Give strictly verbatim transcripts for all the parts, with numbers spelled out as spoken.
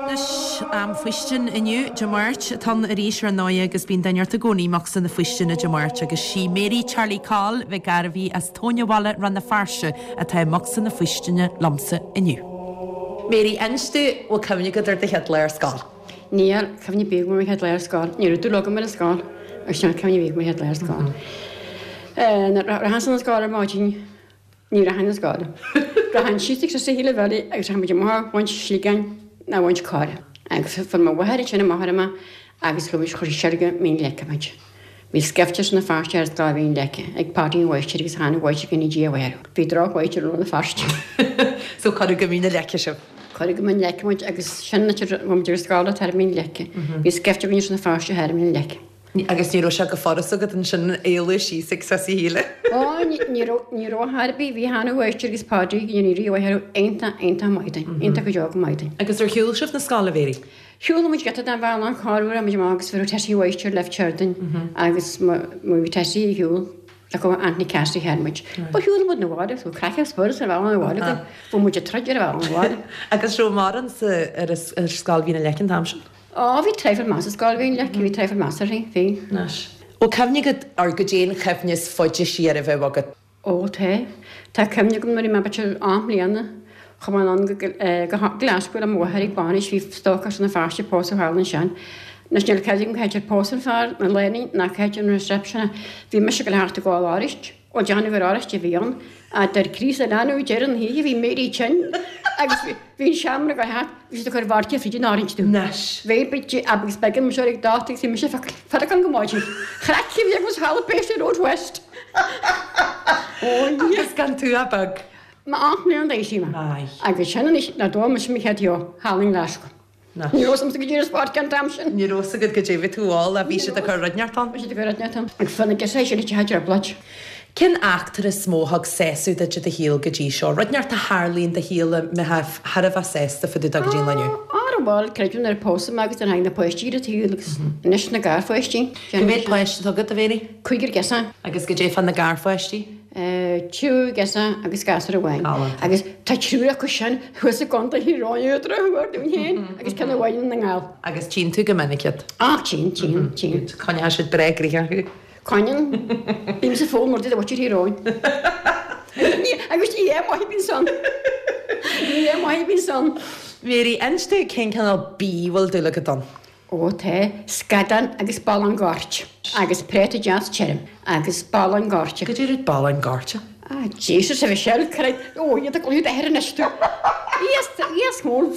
Anois am faoistin inniu Dé Máirt atá ann arís ar ndóigh agus bíonn duine ort i gcónaí i mbocsa na faoistine Dé Máirt agus sí Mary Charlie Coll Mhic Gairbhí as Tóin an Bhaile Rann na Feirste atá i mbocsa na faoistine liomsa inniu. Mary, inis domh bhfuil cuimhne agat ar do chéad lá ar scoil. Níl cuimhne ar bith agam ar mo chéad lá ar scoil. Ní raibh dúil agam ar an scoil agus níl cuimhne ar bith agam ar mo chéad lá ar scoil. Rachainn na scoil ar maidin ní rachainn na scoil. Rachainn síos ag sa híle bheile agus rachainn muid amach ag baint sligeáin ná baint cora. Agus fuair mo mháthair ansin amach orm agus chuir chuir sí siar go Mín Leice muid. Bhí scaifte sna Feirste ar scoil Mhín Leice ag Páidí an Mháistir agus tháinig mháistir go Dia mhaith. Bhí drochmháistir i Rann na Feirste. So cuireadh go Mín na Leice sibh. Cuireadh go Mín Leice muid agus sin an áit a raibh muid ar scoil thar Mín Leice. Bhí scaifte againn sna Feirste thar Mín Leice. Agus ní raibh sé go furast agat ansin éalú síos ag Sosaí Shíle. Ó ní raibh ní raibh ar bith bhí hAnna Mháistir agus Páidí ní raibh iontach iontach maith dúinn, iontach go deo go maith dúinn. Agus ar shiúil sibh na scoile Mary? Shiúil muid giota den bhealach an corruair muid amach agus bhí Tessie Mháistir leif Cherdin agus bhí Tessie ag shiúl le go Anthony Cassidy thar muid. Ba shiúil muid na bhaile, so craic spurs ar bhealach na bhaile, bhí muid ag troid ar bhealach na bhaile. Agus raibh mórán sa ar ar scoil Mhín na Leice an t-am sin? Ó bhí traidhfil maith sa scoil Mhín Leice, bhí traidhfil maith uirthi, bhí. Anois. Bhfuil cuimhne agat ar goidé an chuimhne is faide siar a bheadh agat? Ó tá. Tá cuimhne agam nuair a bhí mé b'fhéidir ocht mbliana chuaigh mé anonn go go Glasgow le mo mháthair ag bainis bhí stócach sna Feirste pósadh thall ansin. Anois níl cuimhne agam cá háit ar pósadh an fear na lánúin ná cá háit an reception. Bhí mise ag dul thart ag gabháil arís. Ó déanamh gur oráiste a bhí ann, a deir Críost a leanbh deireadh na hoíche bhí Mary tinn agus bhí an seomra go thart, bhí siad ag cur vodka fríd an orange dúinn. Anois. Bhí bit agus beag an seo ag dáta agus bhí mise feiceann go maidin. Chraic a bhí agus halla péiste Road West. Ó Agus gan tú a beag. Ma ocht mbliana d'aois í mé. Aye. Agus sin anois ná dó mise mo chéad sheó thall i nGlasgow. Ní raibh go dtí sport an t-am sin. Ní raibh agat go dtí tú áil a bhí siad ag cur rud inteacht ann. Bhí siad ag cur rud inteacht ann. Agus fan na gceise sin a trioblóid. Cén eachtra is mó a thug sásamh duit i do shaol go dtí seo? Rud inteacht a tharlaíonn do shaol a mbeifeá thar a bheith sásta fá dtaobh de go dtí an lá inniu? Ar bhfuil creidiúint ar pósadh mé agus ar tháinig na páistí ar an tsaol agus anois na garpháistí. Cá mhéad páiste atá agat a Mhary? Cúigear girseach. Agus goidé fá na garpháistí? Triúr girseach agus gasúr amháin. Galánta. Agus tá triúr acu sin thuas i gContae Thír Eoghain ar drochuair dúinn féin agus ceann amháin i nDún na nGall. Agus tchíonn tú go minic iad? Á tchíonn, tchíonn, tchíonn. Coinneoidh siad breá gnoitheach thú. Coinníonn. Bímse fóin mar a bhfuil Thír Eoghain. Agus ní hé maith bíonn san. Ní hé maith bíonn san. Mary, inis domh cén cineál bídh a bhfuil dúil agat ann? Ó tá scadán agus ballán goirt agus préata deas tirim agus ballán goirt. Goidé rud ballán goirt? Ah, Jesus a Mhichelle, creid ó iad ag glúid air anois tú. Iasc iasc mór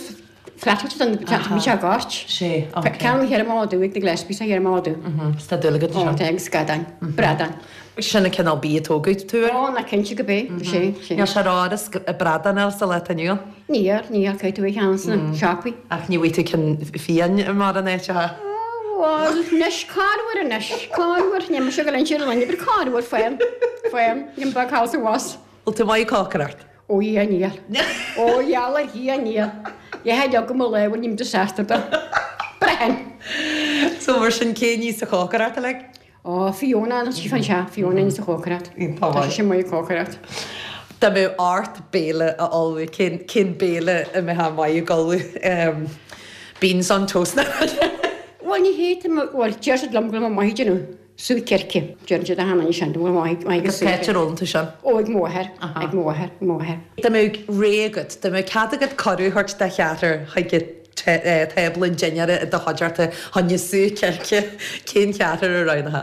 flatailte don bhí sé goirt. Sé, ok. Ceann thiar má dú ag na Gillespie sa thiar má dú. Is tá dúil agat Ó tá agus scadán, bradán. Sin an cineál bídh a tógadh tú air? Ó ná cinnte go bé, sé, sé. Níl sé ró-fhada bradán eile sa lá atá inniu ann? Níl, níl, caithfidh tú é a cheannach sna siopaí. Ach ní bhfaighidh tú ceann fiáin i mórán áiteacha. Bhuel, anois, corruair anois, corruair, níl mise ag dul inse ar an duine, but corruair, faighim, faighim, gim beag thall sa bhus. Bhfuil tú maith ag cócaireacht? Ó Dhia níl. Ó gheall ar Dhia níl. Dheich leag go mo lámha ním disaster do. Braitheann. So mar sin cé ní sa chócaireacht uilig? Ó Fiona nó sí fan seo, Fiona ní sa chócaireacht. Tá sí maith ag cócaireacht. Dá mbeadh ort béile a ullmhú, cén cén béile a mbeifeá maith ag ullmhú? Beans on toast Bhuel ní hé, bhuel deir siad liom go bhfuil mé maith ag déanamh sú circe, deireann siad achan duine sin, go bhfuil maith maith ag Agus sú cá háit ar fhoghlaim tú sin? Ó ag mo mháthair, ag mo mháthair, ag mo mháthair. Dá mbeadh rogha agat, dá mbeadh cead agat cuireadh a thabhairt do cheathrar chuig tábla an dinnéara i do chuideachta choinne sú circe, cén cheathrar a roghnófá?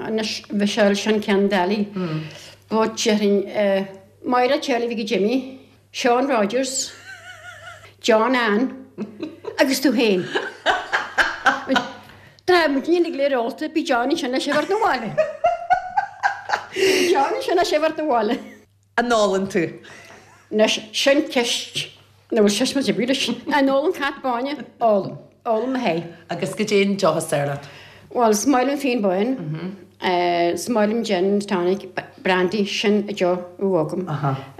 Anois Mhichelle, sin ceann doiligh. But déarfainn Máire Charlie Mhicí Jimmy, Seán Rogers, John Ann agus tú féin. Tá muid uilig léir ólta, bí John ansin le sibh na bhaile. Bí John ansin le sibh na bhaile. An ólann tú? Anois sin ceist nó bhfuil sise mar leis. An ólann cat báine? Ólaim. Ólaim mo thae. Agus goidé an deoch is fearr leat? Bhuel, is maith liom fíon bán, is maith liom gin and tonic, brandy, sin an deoch a bheadh agam.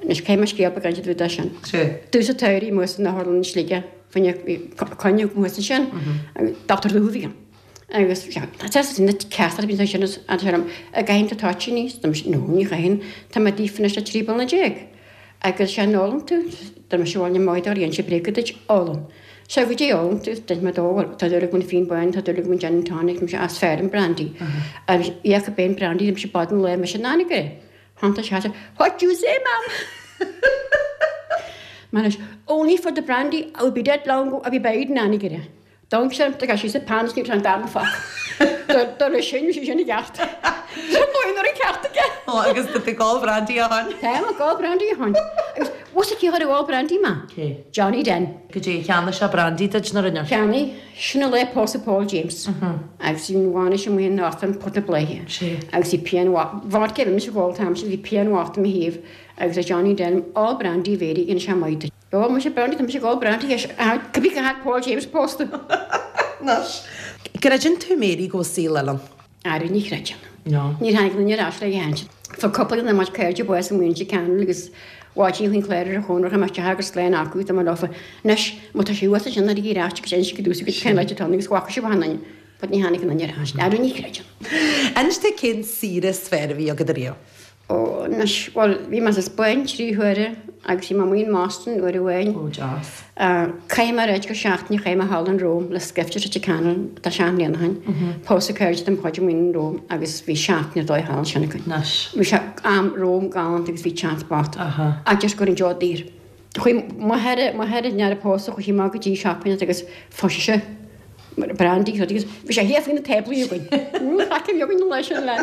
Anois caithfidh mé scéal beag a inse duit de sin. Tús an tsamhraidh amuigh san Otharlann i Sligeach, coinne amuigh ansin, Dochtúir Dubh a bhí ann. Agus na ceathrar a bhí ansin a deir liom, an gcaitheann tú toitíní? No, ní chaitheann, tá mé díofa anois le trí bliana déag. Agus sé ólann tú, Tá mise bhaile maith ar dhein sé bréaga duit ólann. Sé go dtí ólann tú, dúirt mé dó, bhuel, tá dúil agam fíon bán, tá dúil agam gin and tonic, tá mise as fearr an brandy. Agus íoc a b'é an brandy, tá mise bad an lae, mise nána go é. Thanta sé, What you say, ma'am? Man is, only for the brandy, I would be dead long ago, I'd be buried in Anagaire. D'amharc sé orm, do ghabh sí sa pan is ní raibh an darna focal. Do rith sin, bhí sé sin i gceart. Sin dóigh nuair an ceart aige. Ó, agus tá tú ag ól brandy ó shin. Táim ag ól brandy ó shin. Agus bhfuil cé chuir ag ól brandy mé? Cé? Johnny Den. Goidé, cheannaigh sé brandy duit nó rinne? Cheannaigh. Sin an lá a pósadh Paul James. Agus bhí an bhainis amuigh in Northern Port na Bláithe. Sé. Agus bhí pian vodka, bhí mise ag ól an t-am sin, bhí pian bhocht i mo thaobh agus a Johnny Den, ól brandy a Mhéirí, dhein sé maith duit. Ó, mise brandy, tá mise ag ól brandy, cibé cá fhad Paul James pósta. Anois. Creideann tú Mary go bhfuil saol eile ann? Ara ní chreidim. No. Níor tháinig aon duine ar ais le hainnt. Fuair cúpla de na muid cairde bás amuigh in Leitir Ceanainn agus bháidí chuig an chlár ar a chónra amach teach agus slán acu tá mar lofa. Anois, má tá sé thuas ansin ar ar ais agus inis go dtús agus cén áit atá ann agus bhfaca sibh an duine. But ní tháinig aon duine ar ais. Ara ní chreidim. Inis dom cén saoire is fearr a bhí agat ariamh? Ó, anois, bhuel, bhí mé sa Spáinn trí huaire agus bhí mé amuigh in mBoston uair amháin. Ó, deas. Chaith mé ar go seachtain, chaith mé thall in Rome le scaifte Leitir Ceanainn, tá seacht mbliana ó shin. Pósadh cairde dem chuid amuigh in Rome agus bhí seachtain ar dóigh thall ansin againn. Anois. Bhí sé am Rome galánta agus bhí teach bocht. Aha. Ach just go raibh an deoch daor. Chuaigh m'athair, m'athair i ndeara pósadh, chuaigh sé amach go dtí shopping agus fuair sé brandy agus bhí sé thiar faoi na táblaí againn. Craic a bhí againn an lá sin le.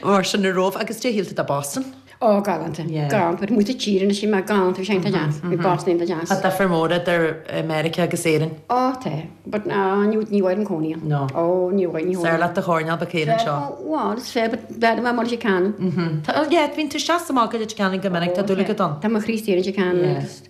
Mar sin na Róimh agus cad é a shíl tú de Boston? Ó galánta. Yeah. Galánta, but muid tíre sin mar galánta bhí sé iontach deas. Bhí Boston iontach deas. Tá difear mór idir Meiriceá agus Éirinn. Ó tá, but ná ní ní bhfuil an cónaí. No. Ó ní bhfuil ní Is fearr leat do choirnéal beag féin anseo. Bhuel, is féidir, but b'fhéidir mar Leitir Ceanainn. Tá, yeah, bíonn tú isteach sa mbaile Leitir Ceanainn go minic, tá dúil agat ann. Tá mo chroí istigh i Leitir Ceanainn Yeah. agus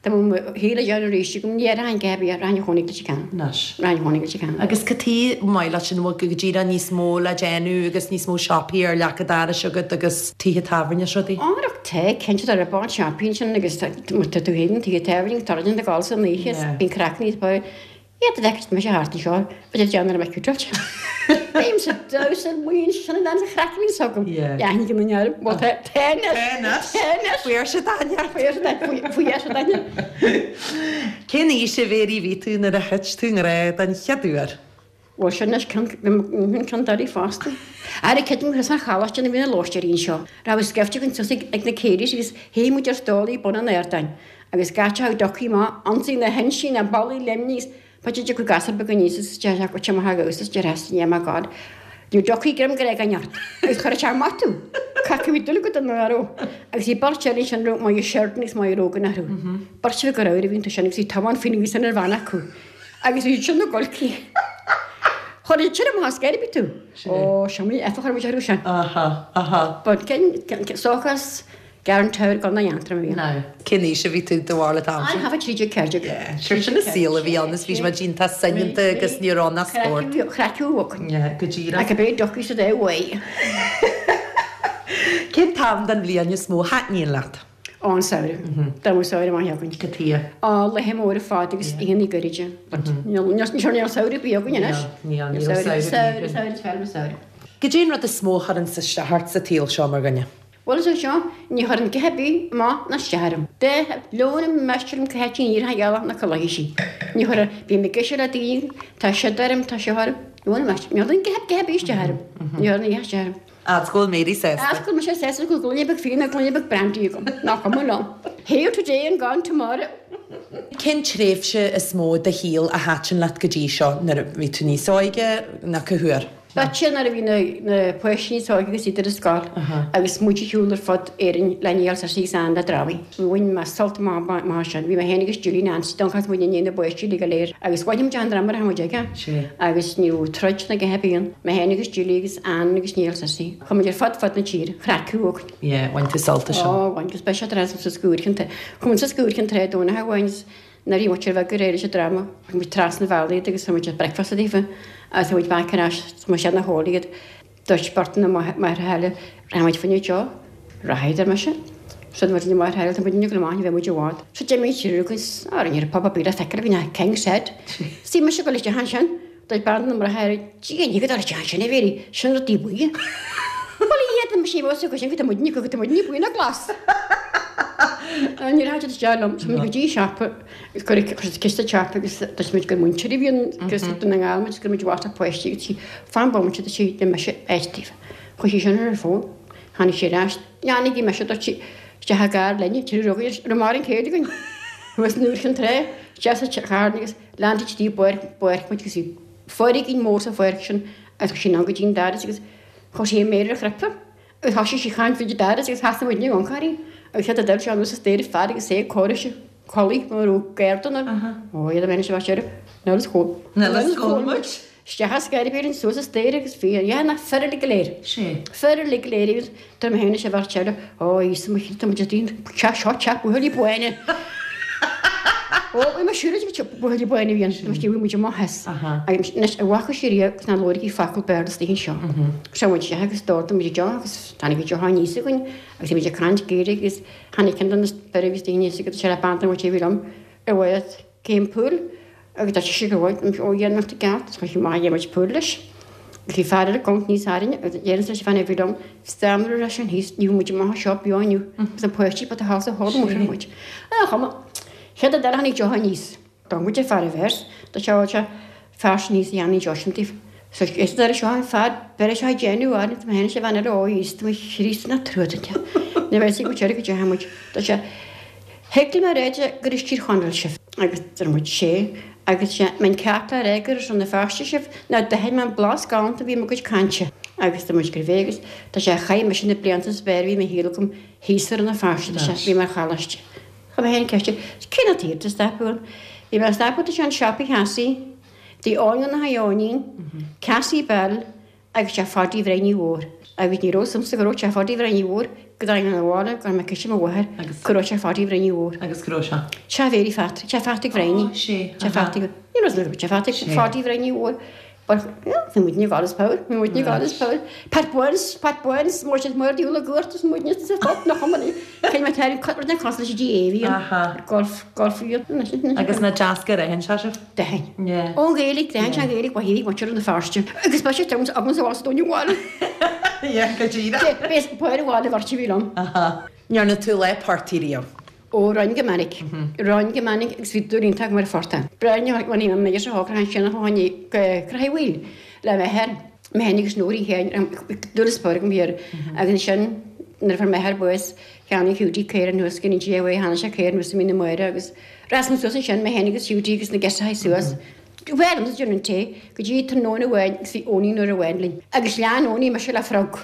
Tá mo shaol a dhéanamh arís agam, ní rachainn go heavy, rachainn a chónaí go Leitir Ceanainn. Anois. Rachainn a chónaí go Leitir Ceanainn. Agus cad chuige maith leat sin bhfuil go díreach níos mó le déanamh agus níos mó siopaí ar leac an dorais agat agus tithe tábhairne is rudaí? Árach te, cinnte tá ar bord siopaí ansin agus tá tá tú féin tithe tábhairne, tá rud ag dul san oíche, Yeah. bíonn craic níos mó. Iad a bheith mise thart anseo, bhí déanamh ar mé cútáilte. Bím sa damhsa maoin sin an sa chraic bhíonn agam. Yeah. Yeah, ní go near, well te tennis. Tennis. Fuair sé Daniel. Faoi sé Daniel. Cén aois a Mhéirí bhí tú nuair a thit tú i ngrá den chéad uair? Well sin is ceann darí fosta. Ar ceidim chris an choláiste na bhína lóisteirín seo. Raibh scaifte againn suas ag na céirí agus théigh muid ar stólaí bun an ardáin. Agus gach a dochaí maith, ansaí na hinsí na ballaí Luimnigh, pa de go gasar beag aníos is deir go tí maith agus is deir as yeah my God. Ní dochaí greim go gan ort. Agus chuir sé amach tú. Caithfidh bhí dul go don aró. Agus bhí beirt eile sin raibh Moya Sheridan agus Moya Rogan orthu. Beirt bhí go raibh a bhíonn tú sin agus bhí tamán faoin agus sin ar bhean acu. Agus bhí sin na golcaí. Chuir sin amach as geirbe tú. Ó, sin mé efa chuir muid orthu sin. Aha, aha. But cén sóchas Garantúir gan na Aontroim a bhí. No. Cén aois a bhí tú do bharúil an t-am sin? I have a trí déag ceathair déag. Yeah, sure sin an saol a bhí ann is bhí muid iontach soineanta agus ní raibh ann ach spórt. Chraiceadh uaidh. Yeah, go díreach. Ach a bheith dochaí sa dá uaidh. Cén t-am den bhliain is mó a thaitníonn leat? Ó, an samhradh. Dá mbeadh samhradh maith againn. Cad chuige? Á, laethe móra fada agus oícheanna gairide. But níl níl samhradh ar bith againn anois. Níl, níl Samhradh, samhradh samhradh, samhradh, is fearr liom an samhradh. Cad é an rud is mó a chuireann isteach ort sa tsaol seo mar dhuine? Bhuel is é seo, ní chuireann a dhath ar bith amach ná isteach orm. De leon meastar liom cá háit a ndíorfá ghealach na culaithe sí. Ní chuireann, bím ag éisteacht le daoine, tá siad orm, tá seo orm. Leon meastar, ní chuireann a dhath a dhath ar bith isteach orm. Ní chuireann a dhath isteach orm. Fhad 's go bhfuil Mary sásta. Fhad 's go bhfuil mise sásta go bhfuil gloine beag fíona, gloine beag brandy agam. Nach cuma liom. Here today and gone tomorrow. Cén tréimhse is mó de do shaol a thaitin leat go dtí seo nuair a bhí tú níos óige nó cá huair? B'fhéidir nuair a bhí na na páistí níos óige agus iad ar an scoil agus muid ag siúl ar fud Éirinn le Niall Searcy agus Anne le drámaí. Bhain mé sult amach amach sin. Bhí mé féin agus Julie Nancy Donnchadh muid i ndiaidh na bpáistí uilig go léir agus bhain muid an dráma a raibh muid aige. Agus ní raibh troid ná a dhath ar bith ann. Mé féin agus Julie agus Anne agus Niall Searcy. Chuaigh muid ar fud fud na tíre. Chraic uaidh. Yeah, bhain tú sult as sin. Ó, bhain, agus beidh sé trasna sa sciúir chun Chuaigh muid sa sciúir chun tré Domhnach amháin is nuair a bhí muid ar bheag go réidh leis an dráma, chuaigh muid trasna an bhealaigh iad agus thug muid breakfast daofa agus thug muid back ar ais, thug muid siad na hólaí iad. Dúirt beirt de na máithreacha eile, rachaidh muid fá choinne deoch. Rachaidh, ar mise. So dúirt na máithreacha eile, tá muid ag dul amach, ní bheidh muid i bhfad. So d'imigh triúr againn, á, ní raibh pub ar bith le feiceáil againn ach King's Head. Bhí mise ag dul isteach ansin. Dúirt bean de na máithreacha eile, Dia, ní go dul isteach ansin, a Mhéirí, sin rudaí buí. Bhuel, iad, mise, bhí fhios acu sin go tá muidne, go tá muidne buí ná glas. Ní raibh isteach liom, so go dtí siopa, chuir chuir ciste siopa agus dúirt muid gur múinteoirí a bhí ann agus Dún na nGall muid gur muid bhata páistí agus sí fan bomaite dúirt sí le mise áit daoibh. Chuaigh sí sin ar an fón, tháinig sí ar ais, leanaigí mise dúirt sí isteach i gcarr linne, trí rugaí ar mar an chéad againn. Thuas nuair chun tré, isteach sa charr agus lean sí dtí bpáirc bpáirc muid agus bhí foirgín mór sa pháirc sin agus chuaigh sí anonn go dtí an doras agus chuir sí a méar ar a chnaipe agus thosaigh sí ag caint fríd an doras agus sheasaigh muidne ag amharc uirthi agus chéad a d'fhill sé anuas an staighre fear agus é ag comhaireamh sé culaith mar a raibh garda ann. Ó, iad a bheith anois a bheith Nil is chomh. Nil is chomh muid. Isteach as Gairibín suas an staighre agus bhí an dheich na fir uilig go léir. Sé. Fir uilig go léir agus tá mé féin anois a bheith eile. Ó, Íosa mo chroí, tá muid ag daoine, teach seo, teach buachaillí bána. Ó, bhí mé siúr ag teach buachaillí bána a bhí ann, bhí muid amuigh as. Agus anois, a bhfaca sí riamh agus ná labhair focal Béarla istigh anseo. Seo muid isteach agus d'ordaigh muid deoch agus tháinig an deoch aníos againn agus bhí muid ag caint Gaeilge agus tháinig ceann de na fir a bhí istigh aníos agus sé le bean den bhfuil sé a bhí liom ar mhaith cén pool agus dúirt sise go bhfuil ó dhéanamh i gceart is chuir maith dhéanamh pool leis. Bhí fear eile ag níos airne agus deireann leis an bhean a bhí liom stammer leis an thíos ní muid amach seo beo inniu agus an páistí ba thall sa hall mór muid. A chuma chéad a d'eile tháinig deoch aníos. Dá muid ag fear a bheirt do seo sé fear sin níos dhéanaí deoch sin taobh. So is dar seo an fear beir seo déanamh ar tá mé sé bhean eile ó Íosa mo Chríost na truaite. Ní bheidh sí go teir go dteachaigh muid. Tá sé Thuig mé réide gur is Tír Chonaill sibh agus deir muid sé agus sé mbeinn ceart le rá gur as Rann na Feirste sibh ná d'aithin mé an blas galánta a bhí i mo gcuid cainte agus deir muid gurbh é agus tá sé chaith mise na blianta is fearr a bhí i mo shaol agam thíos i Rann na Feirste tá sé bhí mé ar choláiste. Chuir mé féin ceist cén áit a stopadh ann? Bhí mé ag stopadh tá sé an siopa Chassie, dtí Eoin na hEoinín, Cassie Bell agus teach Pháidí Bhreifne Mhór. Agus ní raibh suim sa go raibh teach Pháidí Bhreifne Mhór go dtáinig an bhaile go raibh mé ciseadh mo mháthair go raibh teach Pháidí Bhreifne Mhór. Agus go raibh sé? Teach Mhéirí Phat, teach Phatrick Bhreifne. Ó, sé, Teach Phatrick, ní raibh suim teach Phatrick, Pháidí Bhreifne Mhór. But yeah, bhí muidne God is power, bhí muidne God is power. Pat Burns, Pat Burns, mór siad mór diúl a gcuairt is muidne sa phop nach chuma ní. Cé mé tar cut na cos leis G A bhí an golf golf bhí an. Agus na deasca a ritheann sé sibh? D'aithin. Yeah. Ón Ghaeilge, d'aithin sé an Ghaeilge, ba shílfeadh muintir na Feirste. Agus ba sé Jones agus a bhás dúinn bhaile. Yeah, go díreach. Bés pair bhaile bhairt a bhí liom. Aha. Ndearna tú lá portaigh riamh? Ó, roinn go minic. Roinn go minic agus bhí dúil iontach agam ar an phortach. Breá bhuel ní mé sa shocrúchán sin a tháinig go Croí Mhaoil le m'athair, mé féin agus Nóirín Sheáin, dúil is spór agam thiar. Agus ansin nuair a fuair m'athair bás, cheannaigh Hughie caora anuas go dtí uaidh, tháinig sé caora anuas i mí na Máire agus rás muid suas ansin, mé féin agus Hughie agus na girseachaí suas. Bhuel, an déanann té go dtí tráthnóna amháin agus bhí Eoinín nuair amháin linn. Agus lean Eoinín mise le frog.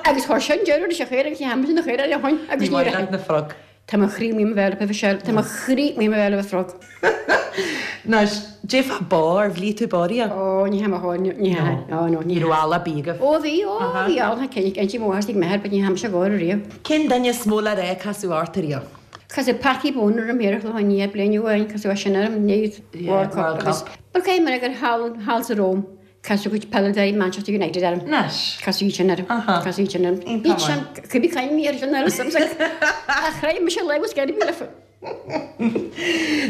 Agus chuir sin deireadh leis an chaora agus ní hamsa na chaora le shoin agus Ní maith leat na frog. Tá mo chroí amuigh i mo bhéal roimhe seo, tá mo chroí amuigh i mo bhéal roimh frog. Anois, dé fá bó, ar bhlí tú bó riamh? Ó, ní hea mo chóir, ní hea. Ó, no, ní hea. Ní raibh eala ar bith agaibh? Ó, bhí, ó, bhí eala, cén, cén tí mo mháthair is ag m'athair, but ní hea mise go riamh. Cén duine is mó le rá a casadh ort riamh? Casadh Packie Bonner orm thiar a chloiche Nia bliain amháin, casadh é sin orm, ní World Cup agus But cé mar gur thall, thall sa Róim, casadh cuid peileadóirí Manchester United orm. Anois. Casadh iad sin orm. Aha. Casadh iad sin orm. Iontach Iad sin, maith. cibé caint mé ar sin eile sam sa Ach chreid mise le was getting me le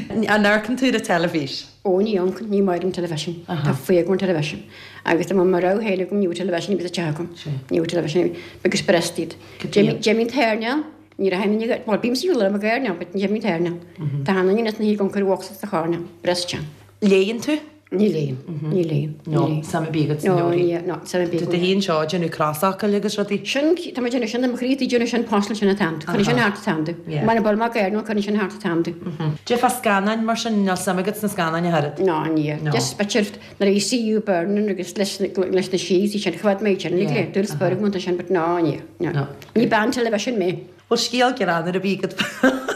An amharcann tú ar an teilifís? Ó ní amharcann, ní maith liom television. Tá fuath agam ar television. Agus tá mo rogha féin agam, ní bhfuil television ar bith sa teach agam. Ní bhfuil television ar bith. Agus breast iad. Cad Jimmy an t-airneál, ní raibh aon duine, bhuel bímse siúl liom ag airneál, but Jimmy an t-airneál. Tá aon duine sna hí goncar walks sa chairneál, breast teann. Léann tú? Ní léim, ní léim, ní No, léim. suim ar bith agat sna No, leabhraí. ní, no, suim ar bith Tá agam. do shuí anseo ag déanamh crosfhocail agus rudaí. Sin, tá mé ag déanamh sin, tá mo chroí ag déanamh sin, postal sin an t-am. Cuireann sin thart an t-am domh. Yeah. Mar a bhfuil mé ag airneál, cuireann sin thart an t-am domh. Dé fá scannáin mar sin, níl suim agat sna scannáin ach oiread? No, ní. No. Just b'fhéidir nuair a bhí See You Burning agus leis na, leis na síos, sin, choimhéad mé sin, Yeah. le dúil spór agam sin, but no, ní, no. No. Ní bean television mé. Bhfuil scéal greannmhar ar bith agat?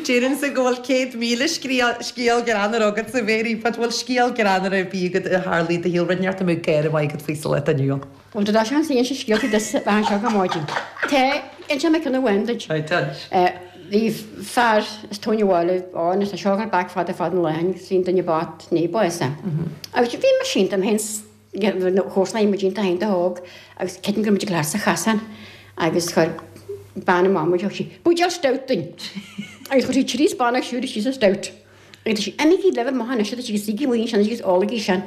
Déarfainnse go bhfuil céad míle scéal greannmhar agat a Mhéirí, but bhfuil scéal greannmhar ar bith agat a tharlaigh i do shaol, rud inteacht a mbeadh gáire maith agat faoi sa lá atá inniu ann? Bhuel, tá seans inse scéalta duit a bheith anseo go maidin. Tá, inseoidh mé ceann amháin duit. Right, inis. Bhí fear as Tóin an Bhaile ann, is tá seo ag dul back fada fada an lá, agus bhí an duine bocht naoi bpáis ann. Agus bhí mé sínte agam féin chomharsana muid iontach iontach óg agus creidim go raibh muid ag labhairt sa chasán agus chuir bean amach muid, thug sí buidéal stout dúinn agus chuir sí trí spána siúd síos sa stout agus dúirt sí imígí libh amach anois agus suígí amuigh ansin agus ólaigí sin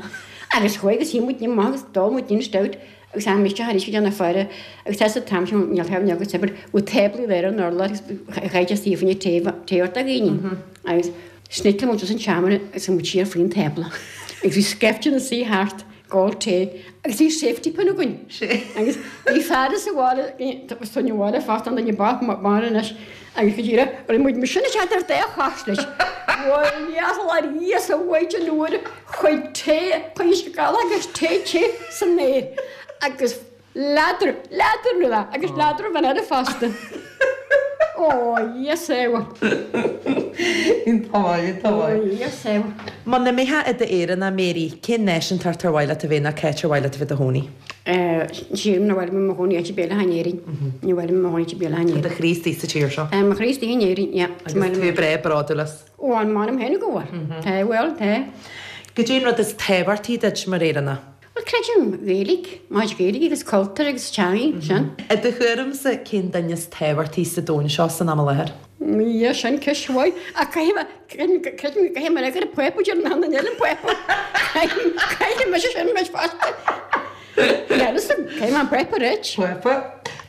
agus chuaigh agus shuigh muid amach agus d'ól muid an stout Agus am isteach arís go dtí an faire agus tá sa t-am sin níl taobh agus saibhir ó táblaí léir an urlár agus chaith sé faoin taobh taobh do dhaoine. Agus sneakáil muid an seomra agus muid siar faoin tábla. Agus bhí scaifte na suí thart ag ól tae agus bhí safety pin againn. Agus bhí fear sa bhaile san bhaile fásta an duine bach mar anois agus go díreach rinne muid mar sin isteach ar dá chos leis. Bhuel Íosa a mhaighdean mhór chuaigh tae chuaigh uisce galach agus tae te san aer agus leadrán leadrán rud agus leadrán bhean eile fosta. Ó Íosa. Iontach maith, iontach maith. Íosa. Muna mbeifeá i d'Éireannach, Mary, cén náisiúntacht ar mhaith leat a bheith nó cá háit ar mhaith leat a bheith i do chónaí? Sílim nár mhaith liom i mo chónaí áit ar bith eile in Éirinn. Ní mhaith liom i mo chónaí áit ar bith eile in Tá do Éirinn. chroí istigh sa tír seo. Tá mo chroí istigh in Éirinn, yeah. Agus tú breá bródúil as. Ó, an m'anam féin go bhfuil. Tá, bhuel, tá. Goidé an rud is tábhachtaí duit mar Éireannach? Bhuel, creidim Gaeilge, maith Gaeilge agus cultúr agus teangaidh, sin. I do thuairimse, cén duine is tábhachtaí sa domhan seo san am i láthair? Ia, sin ceist mhaith. Ach caithfidh mé, creidim, creidim go gcaithfidh mé gur an Pápa, deir an duine eile an Pápa. Caithfidh, caithfidh mise sin anois fosta. Níl fhios agam, caithfidh mé an Pápa a ráit. Pápa.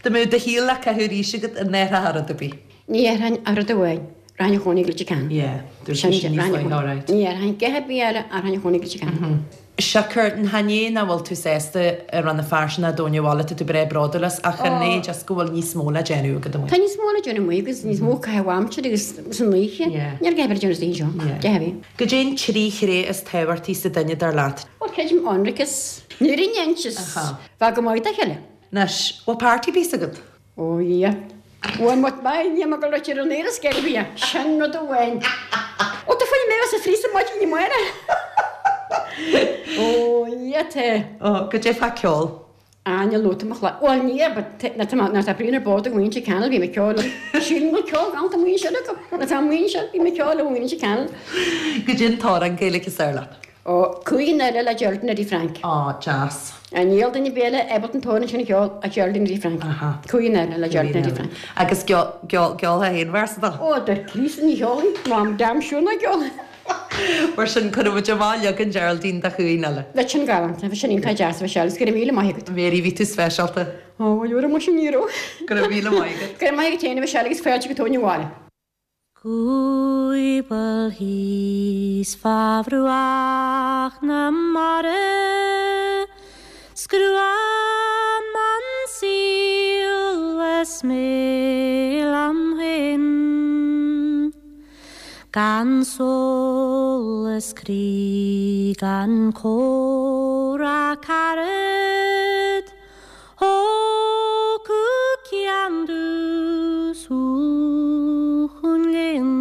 Dá mbeadh do shaol le caitheamh arís agat, an n-athrófá rud ar bith? Ní athróinn ach rud amháin, rachainn a chónaí go Leitir Ceanainn. Yeah, dúirt sé sin níos luaithe, alright. Ní athróinn a dhath ar bith eile ach rachainn a chónaí go Leitir Ceanainn. Siocair, chan é nach bhfuil tú sásta i Rann na Feirste ná Tóin an Bhaile, tá tú breá bródúil as, ach chan é just go bhfuil níos mó le déanamh agat amuigh. Tá níos mó le déanamh amuigh agus níos mó caitheamh aimsire agus san oíche. Yeah. Níl a dhath ar bith le déanamh san oíche seo. Yeah. Deich a bhí. Goidé an trí thréith is tábhachtaí sa duine dar leat? Bhuel, creidim ionracas, an fhírinne is Aha. bheith go maith dá chéile. Anois, bhfuil party piece agat? Ó Dhia. Bhuel, má tá ní mar go raibh ar an aer is geirbe, sin rud amháin. Ó, tá fuinneamh mé sa phríosa maidin ní maire. Ó Dhia tá. Ó, goidé fá ceol? Á, níl nóta mo chlog. Bhuel, ní, but na tá na tá Brian ar bord ag muintir Channel, bhí mé ceol. Sílim go ceol gan tá muintir acu. Na tá muintir, bhí mé ceol ó muintir Channel. Goidé an t-amhrán Gaeilge is fearr leat? Ó, Cúig Eile le Geraldine Eddie Frank. Ó, deas. Níl duine ar bith ábalta an t-amhrán sin a cheol ach Geraldine Eddie Frank. Aha. Cúig Eile le Geraldine Eddie Frank. Agus ceolfaidh aon véarsa dó? Ó, dar Críost ní cheolfaidh, Mam damn sure ná ceolfaidh. Mar sin cuirfidh muid amach leagan Geraldine de Chúig Eile. Bheadh sin galánta, bheadh sin iontach deas, bheadh sé, agus go raibh míle maith agat. Mary, bhí tú speisialta. Ó, bhuel, uair amuigh sin ní raibh. Go raibh míle maith agat. Go raibh maith agat féin, a Mhichelle, agus fáilte go Tóin an Bhaile. Scuabal thíos fá bhruach na mara, 's gruaim an saol is mé liom féin. Gan solas croí, gan comhrá carad, thógfadh ceann domh thú chun léinn.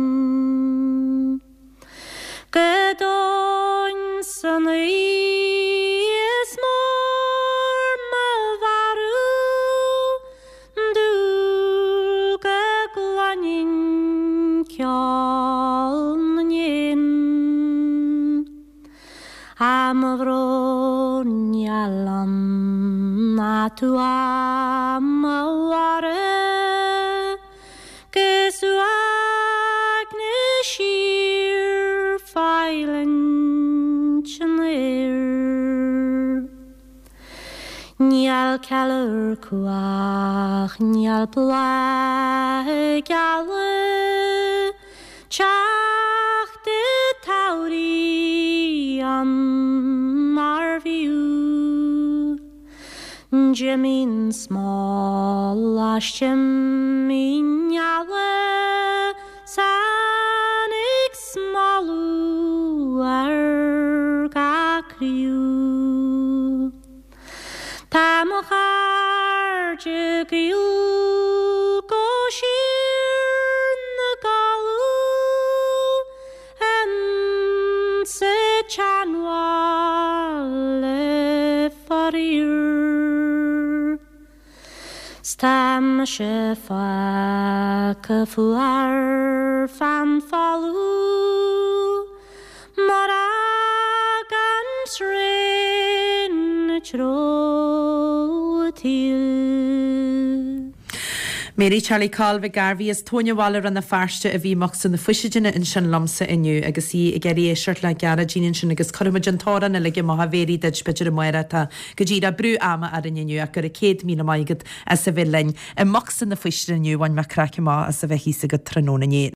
Go domhain san oíche is mór mo mharú, dúil go gcluinfinn ceol na n-éan. A mo bhrón liom ná tú a mo mhaire, gus uaigneas síor feilint an aeir. Níl ceiliúr cuach, níl bláth ag gealadh, teacht i dtodhchaí ann mar bhfiú. Jimín smál as Jimín eala, san ag smálú ar gach criú. Tá mo chairde gaoil go siar na gcalú, sa tseanbhaile faraor. 'S tá mise fágtha fuar fan folamh, mar fhágann sraon na treo tír. Mary Charlie Coll Mhic Gairbhí as Tóin an Bhaile Rann na Feirste a bhí i mbocsa na faoistine ansin liomsa inniu agus í ag iarraidh éisteacht le Gearóidín ansin agus cuirfimid an t-amhrán uilig amach a Mhéirí duit b'fhéidir amárach tá go díreach brú ama orainn inniu ach go raibh céad míle maith agat as a bheith linn i mbocsa na faoistine inniu bhain mé craic amach as a bheith thíos agat tráthnóna inné.